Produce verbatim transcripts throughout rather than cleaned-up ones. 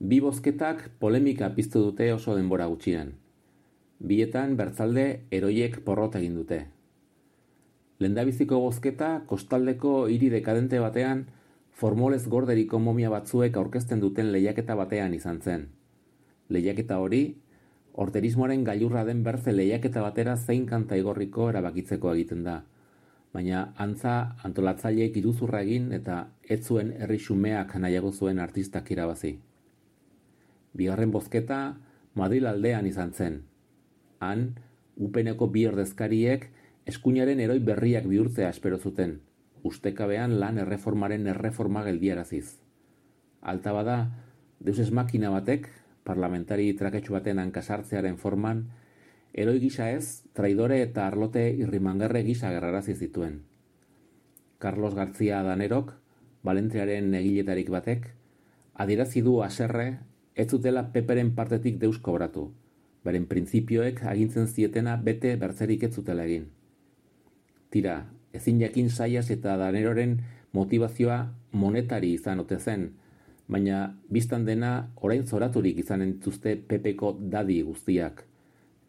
Bi bozketak polemika piztu dute oso denbora gutxian. Bietan bertzalde heroiek porrot egin dute. Lehendabiziko bozketa kostaldeko hiri dekadente batean formolez gorderiko momia batzuek aurkezten duten lehiaketa batean izan zen. Lehiaketa hori, orterismoaren gailurra den berze lehiaketa batera zein kanta igorriko erabakitzeko egiten da. Baina antza antolatzaileek iruzurra egin eta ez zuen herri xumeak nahiago zuen artistak irabazi. Bigarren bozketa Madril aldean izan zen. Han, upeneko bi ordezkariek eskuinaren heroi berriak bihurtzea espero zuten, ustekabean lan erreformaren erreforma geldiaraziz. Alta bada, deus ex makina batek, parlamentari traketxu baten hankasartzearen forman, heroi gisa ez, traidore eta arlote irrimangarre gisa gerrarazi zituen. Carlos García Danerok, Valentziaren egiletarik batek, adierazi du haserre ez zutela Peperen partetik deus kobratu, beren printzipioek agintzen zietena bete bertzerik ez zutela egin. Tira, ezin jakin Zayas eta Daneroren motivazioa monetari izan ote zen, baina biztan dena orain zoraturik izanen dituzte Pepeko dadi guztiak,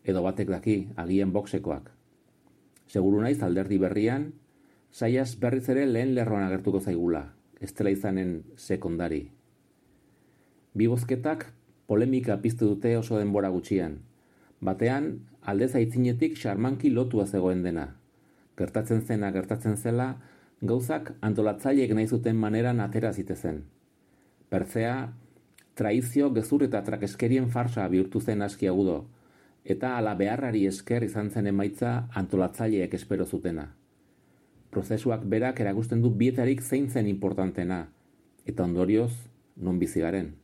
edo batek daki, agian boxekoak. Seguru naiz alderdi berrian, Zayas berriz ere lehen lerroan agertuko zaigula, ez dela izanen sekondari. Bi bozketak polemika piztu dute oso denbora gutxian. Batean, aldez aitzinetik xarmanki lotua zegoen dena. Gertatzen zena gertatzen zela, gauzak antolatzaileek nahi zuten maneran atera zitezen. Pertzea, traizio, gezur eta trakeskerien farsa bihurtu zen aski agudo, eta ala beharrari esker izan zen emaitza antolatzaileek espero zutena. Prozesuak berak erakusten du bietarik zein zen importantena, eta ondorioz, non bizi garen.